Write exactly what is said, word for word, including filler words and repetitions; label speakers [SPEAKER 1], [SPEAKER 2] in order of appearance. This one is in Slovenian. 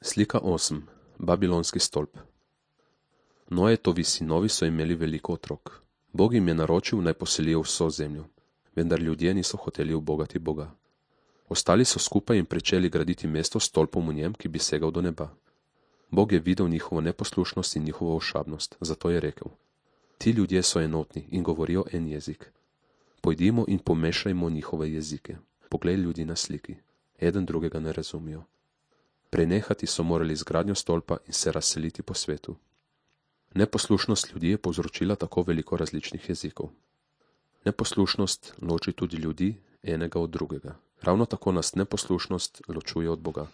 [SPEAKER 1] Slika osem. Babilonski stolp. Noetovi sinovi so imeli veliko otrok. Bog jim je naročil, naj poselijo vso zemljo, vendar ljudje niso hoteli ubogati Boga. Ostali so skupaj in pričeli graditi mesto s stolpom v njem, ki bi segal do neba. Bog je videl njihovo neposlušnost in njihovo ošabnost, zato je rekel: Ti ljudje so enotni in govorijo en jezik. Pojdimo in pomešajmo njihove jezike. Poglej ljudi na sliki. Eden drugega ne razumijo. Prenehati so morali z gradnjo stolpa in se razseliti po svetu. Neposlušnost ljudi je povzročila tako veliko različnih jezikov. Neposlušnost loči tudi ljudi enega od drugega. Ravno tako nas neposlušnost ločuje od Boga.